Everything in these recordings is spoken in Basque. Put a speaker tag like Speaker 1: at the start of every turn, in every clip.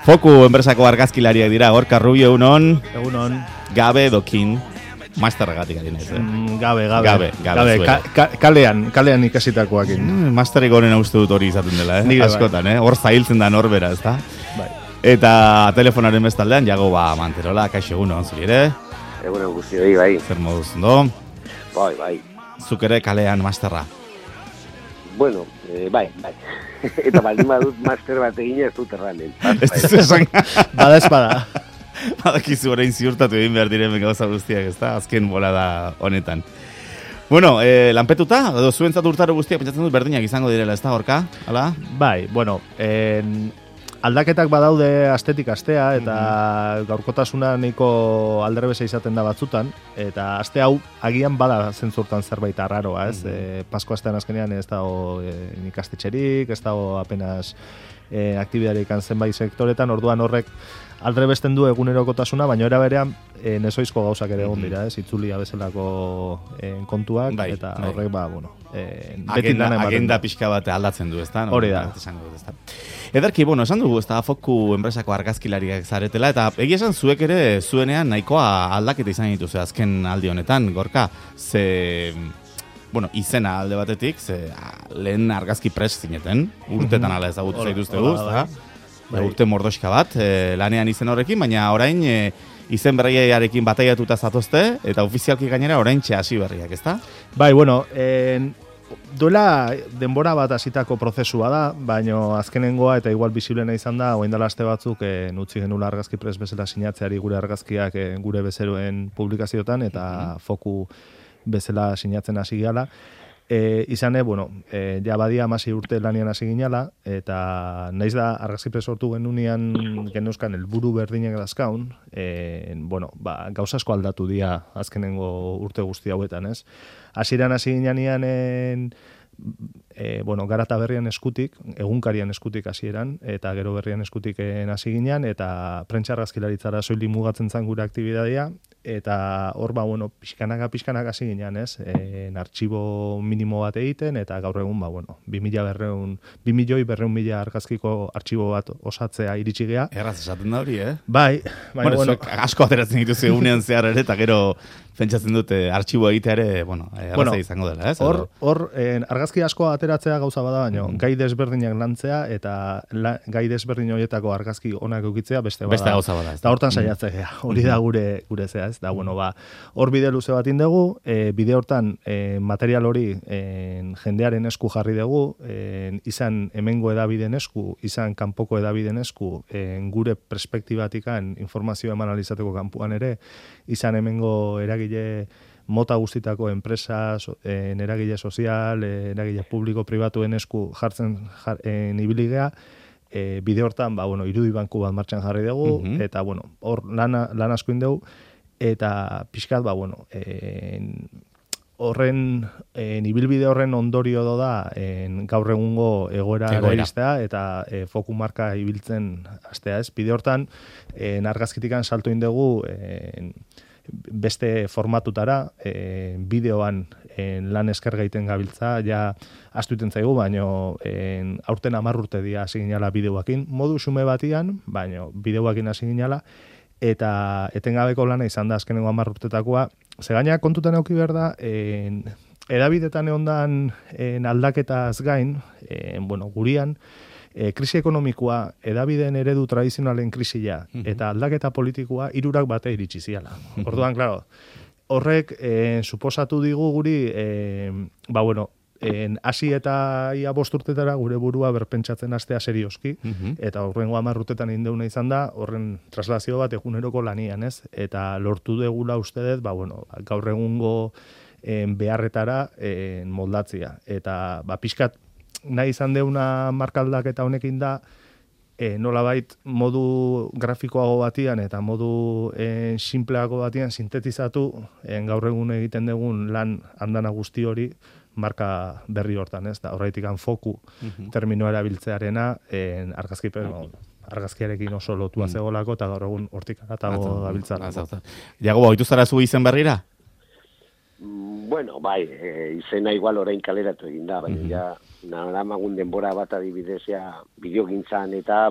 Speaker 1: Foku enpresako argazkilariak dira, Gorka Rubio egunon.
Speaker 2: Egunon.
Speaker 1: Gabe dokin. Masterragatik ari naiz,
Speaker 2: Gabe. Kalean ikasitakoakin.
Speaker 1: Masterrik horren uste dut hori izaten dela, askotan, hor zailtzen da norbera, ezta?
Speaker 2: Bai.
Speaker 1: Eta telefonaren bestaldean, Jagoba Manterola, kaixo egunon, zuri ere?
Speaker 3: Egunon guztioi, bai.
Speaker 1: Zer moduz, ondo?
Speaker 3: Bai.
Speaker 1: Zuk ere kalean masterra?
Speaker 3: Bueno, bai. Eta baldin badut master bat egin ez dut erranen.
Speaker 2: Bada espada.
Speaker 1: Badakizu orain ziurtatu egin behar diren gauza guztiak, ezta? Azken bolada honetan. Bueno, lanpetuta, edo zuentzat urtaro guztiak pentsatzen dut berdinak izango direla, ezta, Gorka? Hala?
Speaker 2: Bai, bueno, aldaketak badaude astetik astea, eta gaurkotasuna nahiko alderebesa izaten da batzutan, eta aste hau agian bada zentzurtan zerbait arraroa, ez? Pasko astean azkenean ez dago ikastetxerik, ez dago apenas aktibidarik zenbait sektoretan, orduan horrek aldrebesten du egunerokotasuna, baina era berean nesoizko gauzak ere egon dira, ez? Itzulia bezalako kontuak,
Speaker 1: bai,
Speaker 2: eta
Speaker 1: bai.
Speaker 2: horrek, beti lana ematen
Speaker 1: agenda
Speaker 2: da.
Speaker 1: pixka bat aldatzen du, ezta?
Speaker 2: Hori da.
Speaker 1: Ederki, esan dugu, ezta, Foku enpresako argazkilariak zaretela, eta egia esan zuek ere zuenean nahikoa aldaketa izan dituzu azken aldi honetan, Gorka, izena alde batetik, lehen argazki prest zineten, urtetan ala ezagutu zaituztegu, ezta? Urte mordoxka bat, lanean izen horrekin, baina orain izen berriarekin bataiatuta zatozte, eta ofizialki gainera orain hasi berriak, ezta?
Speaker 2: Bai, duela denbora bat hasitako prozesua da, baina azkenengoa eta igual bisiblena izan da, orain dela aste batzuk utzi genula argazki prest bezala sinatzeari gure argazkiak gure bezeroen publikazioetan, eta Foku bezala sinatzen hasi gehala. Izane, ja badia 16 urte lanian hasi ginala, eta naiz da argazki prest sortu genunean geneuzkan helburu berdinak dazkaun, gauza asko aldatu dira azkenengo urte guzti hauetan, ez? Hasieran hasi ginean Garata berrian eskutik, egunkarian eskutik hasieran, eta gero berrian eskutik hasi ginean, eta prentsa argazkilaritzara soilik mugatzen zen gure aktibitatea, eta hor pixkanaka hasi ginean, ez? Artxibo minimo bat egiten, eta gaur egun 2.200.000 argazkiko artxibo bat osatzea iritsi gea.
Speaker 1: Erraz esaten da hori,
Speaker 2: Bai.
Speaker 1: Asko ateratzen dituzu egunean zehar ere, eta gero pentsatzen dute artxibo egitea ere, erraza izango dela, ez?
Speaker 2: Hor, argazki asko ateratzea gauza bada, baina gai desberdinak lantzea, eta gai desberdin horietako argazki onak eukitzea beste
Speaker 1: gauza bada.
Speaker 2: Eta hortan saiatzea, hori da gure zea, ez? Da, hor bide luze bat indegu, bide hortan material hori jendearen esku jarri dugu, izan hemengo edabideen esku, izan kanpoko edabideen esku, gure perspektibatikan informazioa eman alizateko kanpuan ere, izan hemengo eragile mota guztitako enpresa, eragile sozial, eragile publiko-pribatuen esku jartzen ibili gea, bide hortan, irudi banku bat martxan jarri dugu, eta, hor lan asko indegu, eta pixkat, horren, ibilbide horren ondorio da gaur egungo egoera iristea, eta Foku marka ibiltzen hastea, ez? Bide hortan, argazkitikan salto indegu, beste formatutara, bideoan lan esker gaiten gabiltza, ja astuiten zaigu, baina aurten 10 urte dira hasi ginala bideoakin, modu xume batian, baina bideoakin hasi ginala, eta etengabeko lana izan da azkenengo 10 urtetakoa. Ze gaina kontutan eduki behar da, edabidetan egondan aldaketaz gain, gurian, krisi ekonomikoa, edabideen eredu tradizionalen krisia, eta aldaketa politikoa hirurak bate iritsi ziala. Orduan, klaro, horrek suposatu digu guri, hasi eta ia 5 urtetara gure burua berpentsatzen hastea serioski, eta horrengo 10 urtetan indeuna izan da, horren traslazio bat eguneroko lanian, ez? Eta lortu degula uste dut, gaur egungo beharretara moldatzea. Eta pixkat nahi izan deuna markaldak eta honekin da, nolabait modu grafikoago batian eta modu simpleago batian sintetizatu gaur egun egiten dugun lan andana guzti hori marka berri hortan, ez? Da horraitik Foku terminoa erabiltzearena argazkiarekin oso lotua zegolako, eta gaur egun hortik aratago gabiltzarako.
Speaker 1: Jagoba, ohitu zara zu izen berrira?
Speaker 3: Izena igual orain kaleratu egin da, baina naramagun denbora bat adibidez bideogintzan eta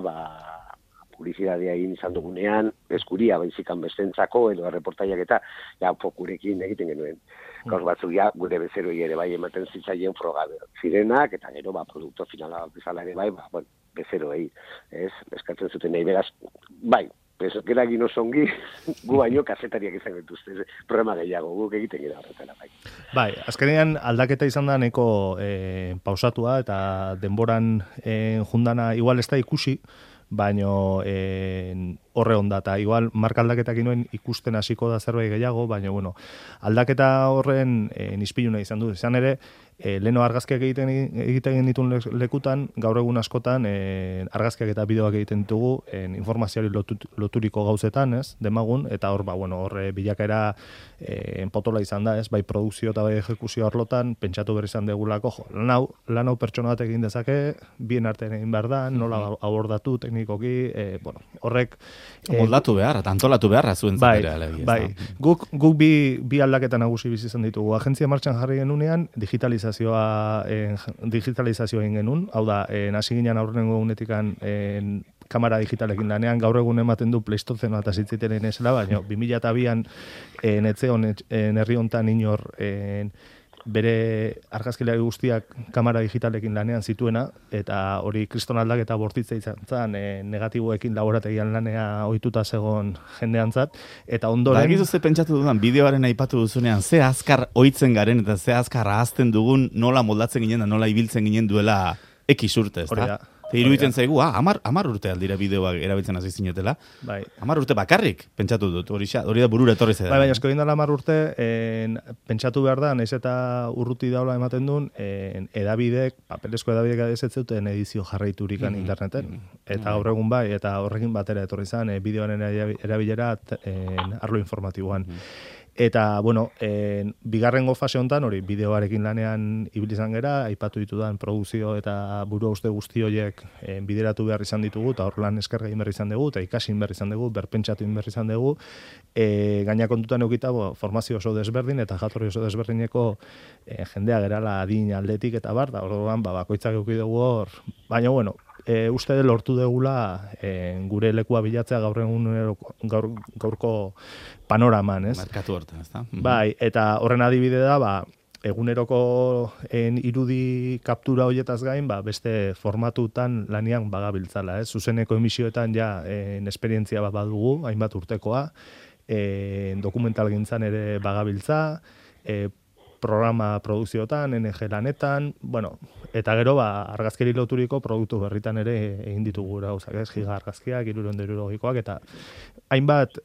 Speaker 3: publizitatea egin izan dugunean, eskuria baizikan bestentzako, edo reportaiak eta, ja, fokurekin egiten genuen. Gauz batzuk, ja, gure bezeroi ere bai ematen zitzaien froga zirenak, eta gero, produktu finala bezala ere bai, bueno, bezeroi, ez? Eskatzen zuten nahi beraz, bai, bezokera egin osongi, gu baino kazetariak izan dituzte, problema gehiago, guk egiten gira horretara, bai.
Speaker 2: Bai, azkenean aldaketa izan da neko pausatua, eta denboran jundana igual ez da ikusi, baino horre onda, eta igual marka aldaketak inoen ikusten hasiko da zerbait gehiago, baina bueno, aldaketa horren ispiluna izan du. Izan ere, leno argazkiak egiten dituen lekutan, gaur egun askotan argazkiak eta bideoak egiten ditugu informazioari loturiko gauzetan, ez, demagun, eta hor, hor bilakaera potola izan da, ez, bai produkzio eta bai ejekuzio arlotan, pentsatu berri izan degulako, lan hau pertsona bat egin dezake, bien artean egin behar da, nola abordatu teknikoki, horrek
Speaker 1: moldatu beharra, antolatu beharra zuen zatera.
Speaker 2: Bai, guk bi aldaketa nagusi bizi izan ditugu. Agentzia martxan jarri genunean, digitalizazioa egin genuen, hau da, hasi ginen aurrengo unetikan kamera digitalekin lanean, gaur egun ematen du Pleistozeno eta zitzitenen esela, baina 2002an netzeon herri hontan inor bere argazkilari guztiak kamera digitalekin lanean zituena, eta hori kriston aldaketa bortitza izan zen, negatiboekin laborategian lanea ohituta zegon jendeantzat, eta ondoren...
Speaker 1: Ba, egizu ze pentsatu dudan, bideoaren aipatu duzunean, ze azkar ohitzen garen eta ze azkar ahazten dugun nola moldatzen ginen da nola ibiltzen ginen duela X urte, ez da? Iruditzen zaigu, 10 urte aldira bideoak erabiltzen hasi zinetela.
Speaker 2: Bai.
Speaker 1: 10 urte bakarrik, pentsatu dut, hori da burura etorri zeda.
Speaker 2: Bai, asko egin dela 10 urte, pentsatu behar da, nahiz eta urruti daula ematen duen, papelezko edabidek ez zuten edizio jarraiturikan interneten. Eta gaur egun bai, eta horrekin batera etorri zen, bideoaren erabilera arlo informatiboan. Eta, bigarrengo fase honetan, hori, bideoarekin lanean ibilizan gera, aipatu ditudan produkzio eta buru uste guzti horiek bideratu behar izan ditugu, eta hor lan eskerga behar izan dugu, eta ikasin behar izan dugu, berpentsatu behar izan dugu, gaina kontutan eukita, formazio oso desberdin, eta jatorri oso desberdineko jendea gerala adin aldetik, eta bar, da horrean, bakoitzak euki dugu hor, baina, uste lortu degula gure lekua bilatzea gaurko panoraman, ez?
Speaker 1: Markatu hortan, ez da?
Speaker 2: Bai, eta horren adibide da, eguneroko irudi kaptura horietaz gain, beste formatutan lanian bagabiltzala, ez? Zuzeneko emisioetan ja esperientzia bat badugu, hainbat urtekoa, dokumental gintzan ere bagabiltza, programa produkziotan, NG lanetan, eta gero argazkeri loturiko produktu berritan ere egin ditugu gauzak, ez, giga argazkiak, 360koak, eta hainbat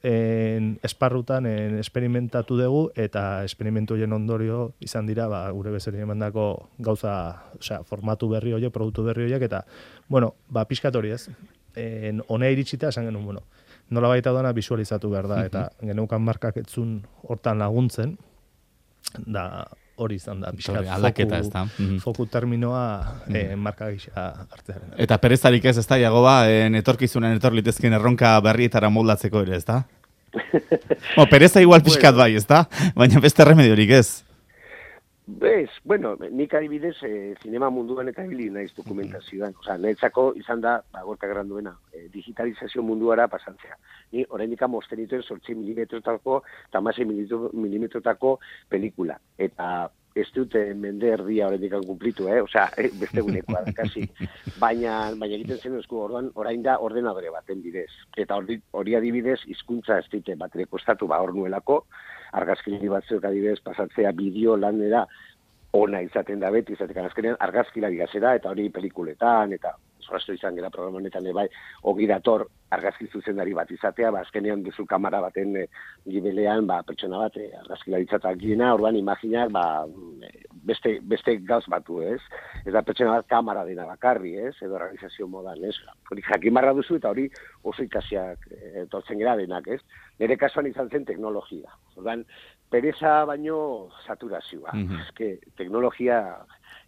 Speaker 2: esparrutan esperimentatu dugu, eta esperimentu horien ondorio izan dira, gure bezeri emandako gauza, formatu berri horiek, produktu berri horiek, eta, pixkat hori ez, honea iritsita esan genuen, nola baita dana visualizatu behar da, eta geneukan markak etzun hortan laguntzen, da hori izan da, pixkat foku terminoa marka gisa hartzearen.
Speaker 1: Eta perezarik ez da, Jagoba, etorkizunen etorlitezken erronka berrietara moldatzeko ere, ez da? Pereza igual pixkat bai, ez da? Baina beste remediorik ez.
Speaker 3: Nik adibidez, zinema munduan eta ibili naiz dokumentazioan. Netzako izan da, gorka granduena, digitalizazio munduara pasantzea. Ni oraindik mozten dituen 8 milimetrotako eta 16 milimetrotako pelikula. Eta ez dute mende erdia oraindik kumplitu, beste gunekoa da, kasi. Baina egiten zen esku orain da ordenadore baten bidez. Eta hori adibidez, hizkuntza ez dite bat ere kostatu hor nuelako, argazkilari batzuk adibidez pasatzea bideo lanera ona izaten da beti, izatekan azkenean argazkilari gazera, eta hori pelikuletan, eta zoraztu izan gara programa honetan bai, ogi dator argazki zuzendari bat izatea, azkenean duzu kamera baten gibelean, pertsona bat argazkilaritzatak giena, orduan imaginak beste gauz batu, ez? Ez da pertsona bat kamera dena bakarri, ez? Edo organizazio modan, ez? Hori jakin barra duzu, eta hori oso ikasiak tortzen gara denak, ez? Nire kasuan izan zen teknologia. Orduan, pereza baino saturazioa. Eske, teknologia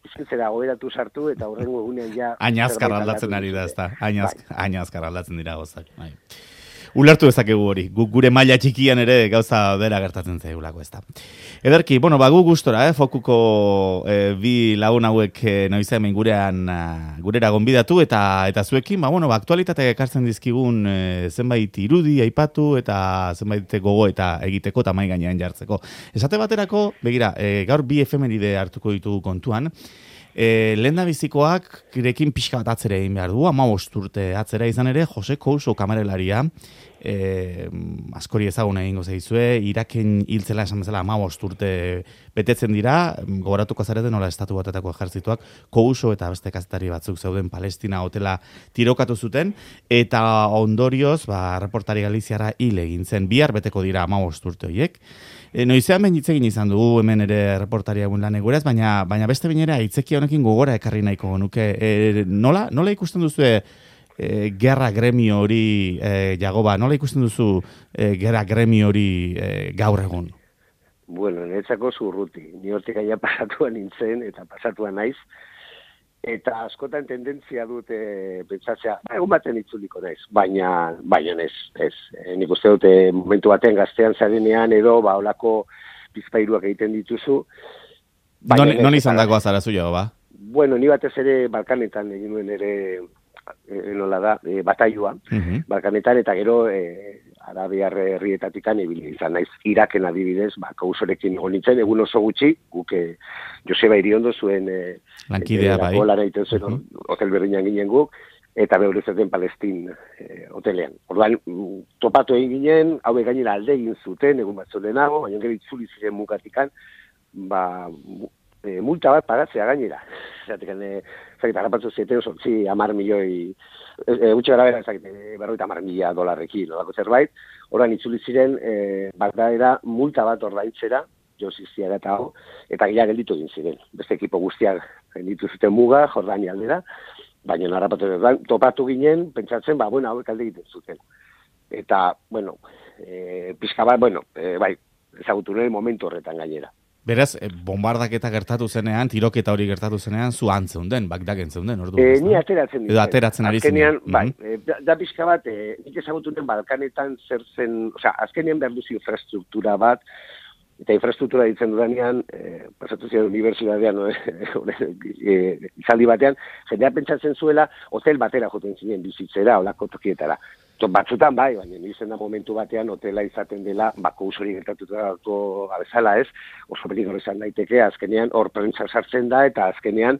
Speaker 3: izkitzera goberatu sartu eta horrengo egunean ja...
Speaker 1: Aina azkar aldatzen ari da, ez da. Aina azkar aldatzen dira gozak. Ulertu dezakegu hori, gure maila txikian ere gauza bera gertatzen zaigulako ez da. Ederki, bueno, gu gustora, fokuko bi lagun hauek noiza hemen gurera gonbidatu eta zuekin, aktualitateak ekartzen dizkigun zenbait irudi aipatu eta zenbait gogo eta egiteko eta mai gainean jartzeko. Esate baterako, begira, gaur bi efemeride hartuko ditugu kontuan, lehendabizikoak girekin pixka bat atzera egin behar du, 15 urte atzera izan ere, Jose Couso kamarelaria, askori ezaguna egingo zaizue, Iraken hiltzela esan bezala 15 urte betetzen dira, gogoratuko zarete nola Estatu Batuetako ejertzituak Couso eta beste kazetari batzuk zeuden Palestina hotela tirokatu zuten, eta ondorioz, reportari Galiziara hil egin zen, bihar beteko dira 15 urte horiek. Noizean behin hitzegin izan dugu hemen ere reportaria egun lan eguraz, baina beste behin ere aitzeki honekin gogora ekarri nahiko nuke. Nola ikusten duzu gerra gremio hori, Jagoba, nola ikusten duzu gerra gremio hori gaur egun?
Speaker 3: Bueno, niretzako zurruti. Ni hortik gaina pasatuan nintzen eta pasatuan naiz. Eta askotan tendentzia dut pentsatzea, egun baten itzuliko naiz, baina ez. Nik uste dute momentu baten gaztean zarenean edo olako bizpairuak egiten dituzu.
Speaker 1: Non izan dagoa zara zu, Jagoba?
Speaker 3: Bueno, ni batez ere Balkanetan egin nuen ere nola da, batailua, Balkanetan, eta gero Arabiar herrietatikan ibili izan naiz. Iraken adibidez, Cousorekin egon nintzen, egun oso gutxi, guk Joseba Iriondo zuen
Speaker 1: lankidea bai.
Speaker 3: Lan egiten zuen hotel berdinan ginen guk, eta behurezaten Palestin hotelean. Orduan, topatu egin ginen, hau gainera alde egin zuten, egun batzu lehenago, baina gero itzuli ziren mukatikan, multa bat pagatzea gainera. Zatekan, harrapatzu zieten, 10 milioi, gutxi gara bera, $50,000 odako zerbait. Horan itzuli ziren, Bagdadera multa bat ordaitzera, Josizia eta gila gelditu egin ziren. Beste ekipo guztiak gelditu zuten muga, Jordania aldera, baina harrapatu topatu ginen, pentsatzen, hauek alde egiten zuten. Eta, pixka bat, bai, ezagutu nire momentu horretan gainera.
Speaker 1: Beraz, bombardaketa gertatu zenean, tiroketa hori gertatu zenean, zu antzeunden, Bagdaden zeunden, ordu.
Speaker 3: Ni ateratzen ditzen.
Speaker 1: Edo ateratzen ari zen.
Speaker 3: Bai, da pixka bat, nik ezagutunen Balkanetan zer zen, azkenean behar duzi infrastruktura bat, eta infrastruktura ditzen dudanean, pasatu ziren unibertsitatean, izaldi batean, jendea pentsatzen zuela, hotel batera joten ziren bizitzera, olako tokietara. Batzutan bai, baina nizen da momentu batean hotela izaten dela, Cousori gertatutako abezala ez, oso peligro izan daiteke, azkenean hor prentsa sartzen da, eta azkenean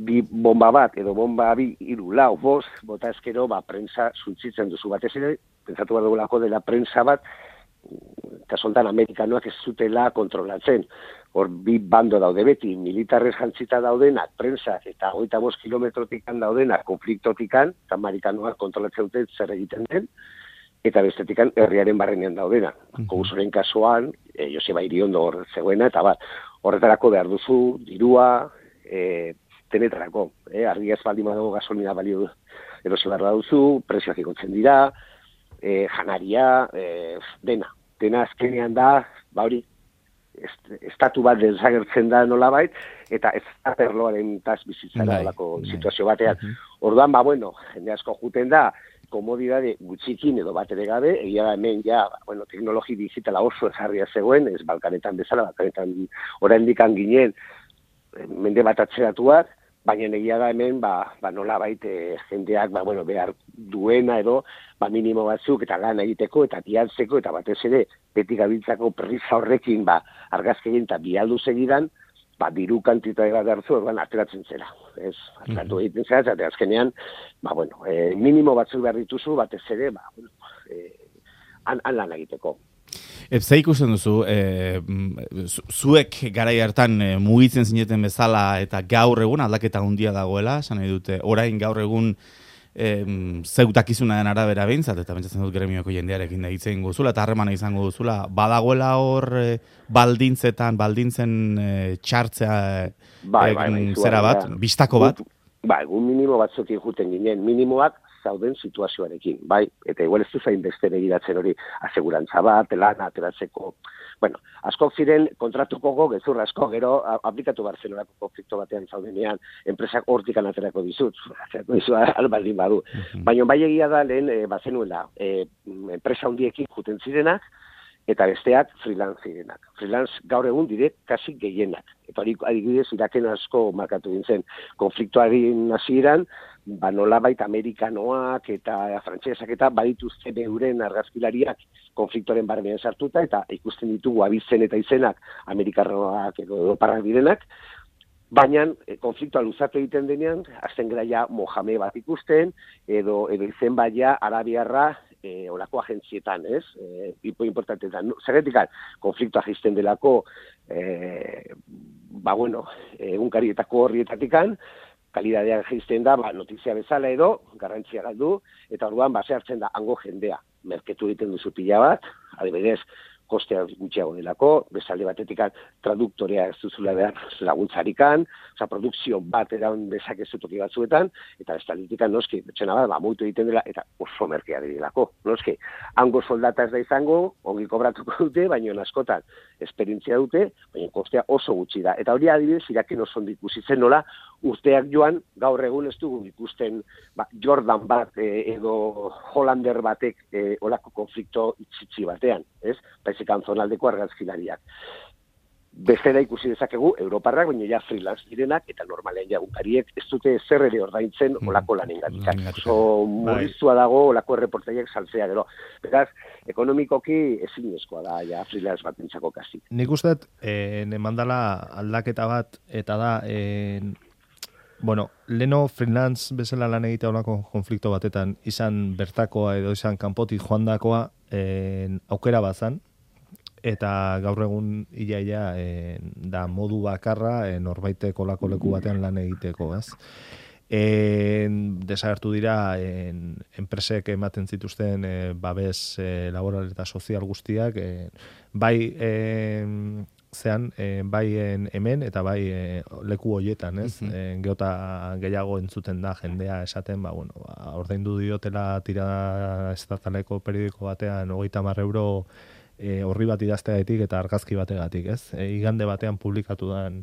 Speaker 3: bi bomba bat, edo bomba bi, 3, 4, 5, bota ezkero, prentsa zuntzitzen duzu. Batez ere, pentsatu behar dugulako dela prentsa bat, eta soltan amerikanoak ez zutela kontrolatzen. Hor bi bando daude beti, militarrez jantzita daudenak, prentsak, eta 25 kilometrotikan daudenak, konfliktotikan, eta amerikanoak kontrolatzen dute zer egiten den, eta bestetikan herriaren barrenean daudenak. Cousoren kasuan, Joseba Iriondo hor zegoena, eta horretarako behar duzu, dirua, denetarako. Argia ez baldin badago gasolina balio erosi behar duzu, prezioak igotzen dira, janaria, dena azkenean da, hori, estatu bat desagertzen da nolabait, eta ez aperloaren taz bizitzara olako situazio batean. Orduan, jende asko juten da, komodidade gutxikin edo bat ere gabe, egia da hemen teknologi digitala oso ezarria zegoen, ez Balkanetan bezala, Balkanetan oraindik ginen mende bat atzeratuak, baina egia da hemen nolabait jendeak behar duena edo minimo batzuk eta lan egiteko eta bialtzeko eta batez ere beti gabiltzako prisa horrekin argazkegin eta bialdu segidan diru kantitate bat hartu ateratzen zera. Ez, hartu egiten zera, eta azkenean minimo batzuk behar dituzu batez ere han lan egiteko.
Speaker 1: Zer ikusten duzu, zuek garai hartan mugitzen zineten bezala eta gaur egun aldaketa handia dagoela, esan nahi dute, orain gaur egun zeutakizunaren arabera behintzat, eta pentsatzen dut gremioko jendearekin da hitzen guzula, eta harremana izango duzula, badagoela hor baldintzen txartzea zera bat, bistako bat?
Speaker 3: Egun minimo batzukin juten ginen, minimoak zauden situazioarekin, bai? Eta igual ez du zain beste begiratzen hori asegurantza bat, lan ateratzeko, bueno, askok ziren kontratuko gezur asko, gero aplikatu Barcelonako konflikto batean zaudenean, enpresak hortikan aterako dizut, albaldin badu. Baina bai egia da lehen bazenuela, enpresa handiekin juten zirenak, eta besteak freelance zirenak. Freelance gaur egun dire kasi gehienak. Eta hori adibidez Iraken asko markatu dintzen konfliktuaren hasieran, nolabait amerikanoak eta frantsesak eta badituzte euren argazkilariak konfliktoren barnean sartuta eta ikusten ditugu abizen eta izenak amerikarroak edo europarrak direnak, baina konfliktoa luzatu egiten denean, azten gara ja Mohamed bat ikusten, edo izen baia arabiarra olako agentzietan, ez? Tipo importanteetan. Zerretik, konfliktoa jisten delako, egunkarietako horrietatikan, kalidadea jisten da, notizia bezala edo, garrantzia galdu, eta orduan base hartzen da hango jendea. Merketu egiten duzu pila bat, adibidez, kostea gutxiago delako, bezalde batetik traduktorea ez duzula behar laguntzarikan, produkzio bat eraun dezakezu toki batzuetan, eta bestaldetik noski, betxena bat, muitu egiten dela, eta oso merkea delako. Noski, hango soldata ez da izango, ongi kobratuko dute, baina askotan esperientzia dute, baina kostea oso gutxi da. Eta hori adibidez, Iraken oso ikusi zen nola, urteak joan, gaur egun ez dugu ikusten Jordan bat edo Hollander batek olako konflikto itxitzi batean, ez? Baizekan zonaldeko argazkilariak. Bestera ikusi dezakegu Europarrak, baina ja freelance direnak, eta normalean jagunkariek ez dute zer ere ordaintzen olako lanengatik. Oso murriztua dago olako erreportaiek saltzea gero. Beraz, ekonomikoki ezinezkoa da ja freelance bat entzako kasi.
Speaker 2: Nik uste, mandala aldaketa bat, eta da, leno freelance bezala lan egitea olako konflikto batetan, izan bertakoa edo izan kanpotik joandakoa aukera bazan, eta gaur egun iaia da modu bakarra norbaiteko olako leku batean lan egiteko, ez? Desagertu dira enpresek ematen zituzten babes laboral eta sozial guztiak, bai hemen eta bai leku hoietan, ez? Geota gehiago entzuten da jendea esaten, ordaindu diotela tira estataleko periodiko batean 30 euro horri bat idazteagatik eta argazki bategatik, ez? Igande batean publikatu den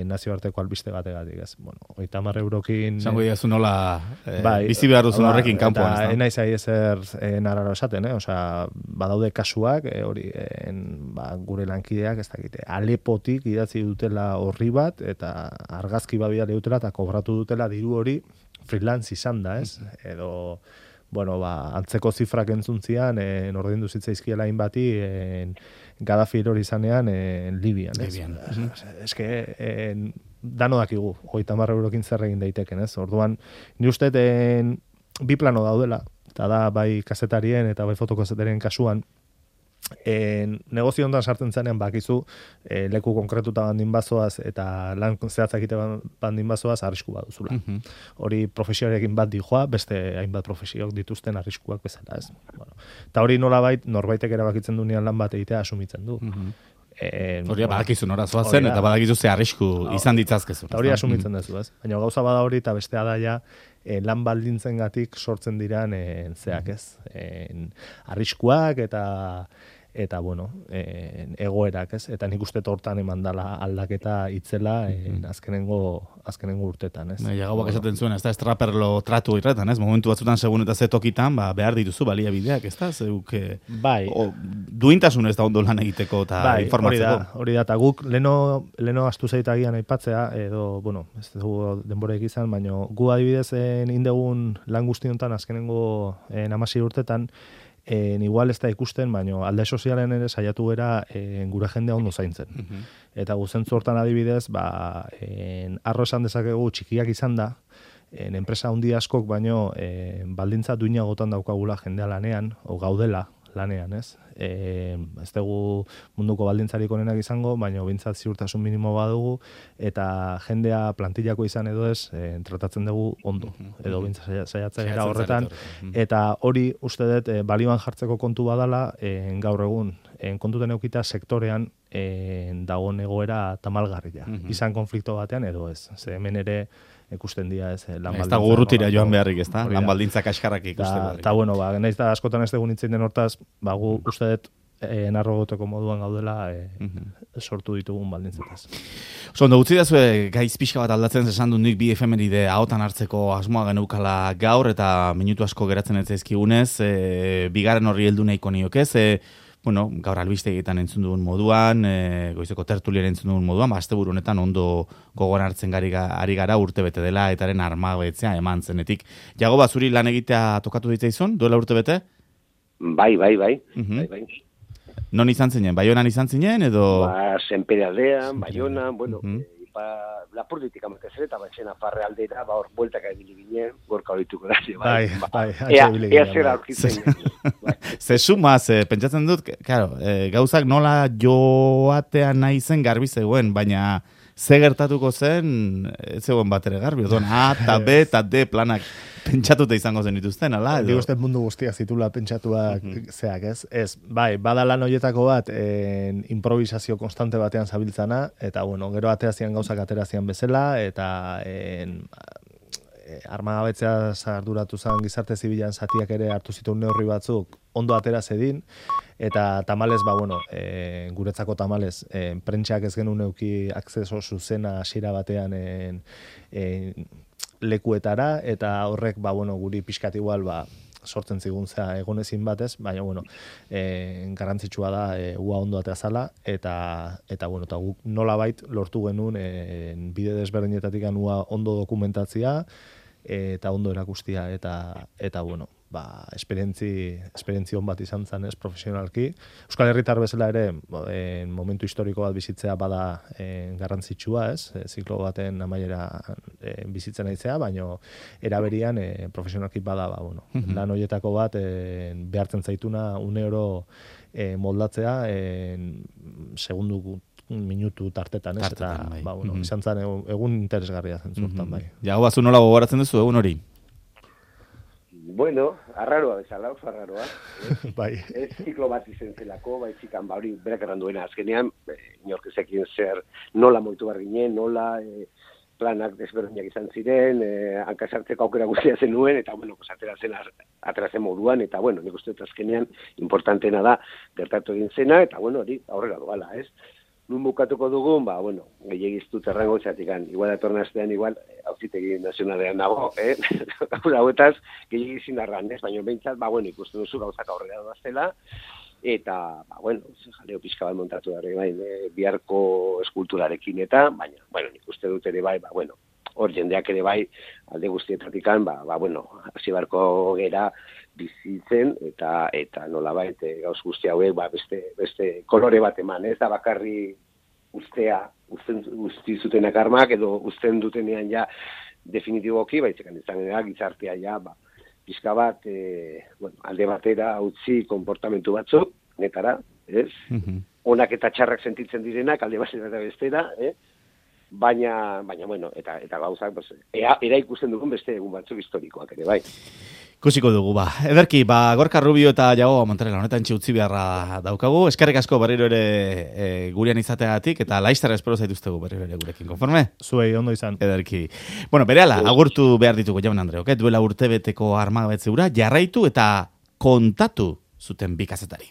Speaker 2: nazioarteko albiste bategatik, ez? 30 eurokin...
Speaker 1: Zango diazu nola bizi behar duzun horrekin kanpoan, ez da?
Speaker 2: Enaiz ari ezer narraro esaten, badaude kasuak, gure lankideak, ez dakite, Alepotik idatzi dutela horri bat, eta argazki babia dutela, eta kobratu dutela diru hori freelance izan da, ez? Edo... antzeko zifrak entzuntzian, ordaindu zitzaizkiela hainbati, Gaddafi hori izanean, Libian, ez? Ez que, dano dakigu, 30 eurokin zer egin daiteken, ez? Orduan, ni uste bi plano daudela, eta da bai kazetarien eta bai fotokazetarien kasuan, negozio ondan sartzen zenean bakizu leku konkretuta bandin bazoaz eta lan zehatzakite bandin bazoaz arrisku baduzula. Hori profesioarekin bat dijoa, beste hainbat profesiok dituzten arriskuak bezala, ez? Eta hori nolabait norbaitek erabakitzen duenean lan bat egitea asumitzen du.
Speaker 1: Hori badakizu nora zoazen eta badakizu ze arrisku izan ditzazkezu.
Speaker 2: Eta hori asumitzen duzu, ez? Baina gauza bada hori eta bestea daia lan baldintzengatik sortzen diran zeak, ez? Arriskuak eta egoerak, ez? Eta nik uste hortan emandala aldaketa itzela azkenengo urtetan, ez?
Speaker 1: Gauak esaten zuen, ez da, estraperlo tratu irretan, ez? Momentu batzutan segun eta zetokitan, behar dituzu baliabideak, ez da? Zeuk, duintasun ez da ondo lan egiteko eta informatzeko.
Speaker 2: Hori da, eta guk leno astu zaitagian aipatzea, edo, ez dugu denboraik izan, baina gu adibidez indegun lan guztiontan azkenengo 16 urtetan, igual ez da ikusten, baina alde sozialen ere saiatu gara gure jendea ondo zaintzen. Eta guzentzu hortan adibidez, arro esan dezakegu txikiak izan da, enpresa handi askok baino baldintza duinagotan daukagula jendea lanean, o gaudela lanean, ez? Ez dugu munduko baldintzarik onenak izango, baina bintzat ziurtasun minimo badugu, eta jendea plantillako izan edo ez, tratatzen dugu ondo, edo bintzat saiatzen gara horretan, eta hori uste dut balioan jartzeko kontu badala, gaur egun, kontuten eukita sektorean dagoen egoera tamalgarria. Izan konflikto batean edo ez. Ze hemen ere ikusten dira, ez, lan
Speaker 1: baldintza. Ez da gurrutira joan beharrik, ez da? Lan baldintzak kaskarrak ikusten beharrik.
Speaker 2: Eta, bueno, naiz da askotan ez dugun itzen den hortaz, gu uste dut, narrogoteko moduan gaudela sortu ditugun baldintzetaz.
Speaker 1: Ondo, utzi da zue gaiz pixka bat aldatzen esan dut nik bi efemeride ahotan hartzeko asmoa geneukala gaur eta minutu asko geratzen ez zaizkigunez, bigarren horri heldu nahiko niokez, bueno, gaur albistegietan entzun dugun moduan, goizeko tertulian entzun dugun moduan, asteburu honetan ondo gogoan hartzen ari gara urte bete dela etaren armagetzea eman zenetik. Jago zuri lan egitea tokatu ditzaizun, duela urte bete?
Speaker 3: Bai. Bai.
Speaker 1: Non izan zinen? Baionan izan zinen, edo?
Speaker 3: Senpere aldean, Baionan, bueno, Lapurditik amatez ere, eta batxena Farre aldera, hor bueltak ebili ginen, gorka horituko da. Ea zer aurkitzen.
Speaker 1: Ze sumaz, pentsatzen dut, claro, gauzak nola joatean nahi zen garbi zegoen, baina ze gertatuko zen, ez zegoen bat ere garbi, odon, A, eta B, eta D planak pentsatuta izango zen dituzten, ala?
Speaker 2: Digo, ez mundu guztia zitula pentsatuak zeak, ez? Ez, bai, bada lan horietako bat, improvisazio konstante batean zabiltzana, eta, bueno, gero aterazian gauzak aterazian bezala, eta armagabetzea arduratu zen gizarte zibilan zatiak ere hartu zituen neurri batzuk ondo atera zedin, eta tamalez, guretzako tamalez, prentxak ez genuen euki akzeso zuzena hasiera batean lekuetara, eta horrek, guri pixkat igual, sortzen zigun zea egonezin batez, baina, garrantzitsua da ua ondo ateazala, eta guk nolabait lortu genuen bide desberdinetatik ua ondo dokumentatzia, eta ondo erakustia, eta esperientzi on bat izan zen, ez, profesionalki. Euskal Herritar bezala ere, momentu historiko bat bizitzea bada garrantzitsua, ez, ziklo baten amaiera bizitzen aitzea, baina eraberian profesionalki bada, lan horietako bat behartzen zaituna uneoro moldatzea, segundu minutu tartetan, ez? Eta, izan zen egun interesgarria zen zurtan, bai.
Speaker 1: Jago bazu nola gogoratzen duzu egun hori?
Speaker 3: Bueno, arraroa bezala, oso arraroa.
Speaker 2: Bai.
Speaker 3: Ez ziklo bat izen zelako, bai zikan, hori berak erranduena azkenean, inorkezekien zer nola moitu behar ginen, nola planak desberdinak izan ziren, hankasartzeko aukera guztia zenuen, eta, aterazen moduan, eta, nik uste azkenean importantena da gertatu egin zena, eta, hori aurrera doala, ez? Nun bukatuko dugun, gehiagiztut errango zatikan, igual atorna astean, igual, auzitegi nazionalean nago, hauetaz, gehiagizin arran, ez? Baina behintzat, ikusten duzu gauzak aurrera doaztela, eta, jaleo pixka bat montatu da, biharko eskulturarekin eta, baina, nik uste dut ere bai, hor jendeak ere bai, alde guztietatikan, hasi barko gera bizitzen, eta nolabait gauz guzti hauek, beste kolore bat eman, ez da bakarri usti zutenak armak, edo uzten dutenean ja definitiboki, baitzekan izan gara, gizartea ja, pixka bat, alde batera utzi konportamentu batzuk, netara, ez? Onak eta txarrak sentitzen direnak, alde batera eta bestera, baina, eta gauzak, era ikusten dugun beste egun batzuk historikoak ere, bai.
Speaker 1: Kusiko dugu, Ederki, Gorka Rubio eta Jago Monterrela honetan utzi beharra daukagu. Eskerrik asko berriro ere gurean izateagatik, eta laiztara espero zaituztegu berriro ere gurekin, konforme?
Speaker 2: Zuei, ondo izan.
Speaker 1: Ederki. Berehala, agurtu behar ditugu, Jaun Andre, duela urtebeteko armagabetzeura, jarraitu eta kontatu zuten bi kazetari.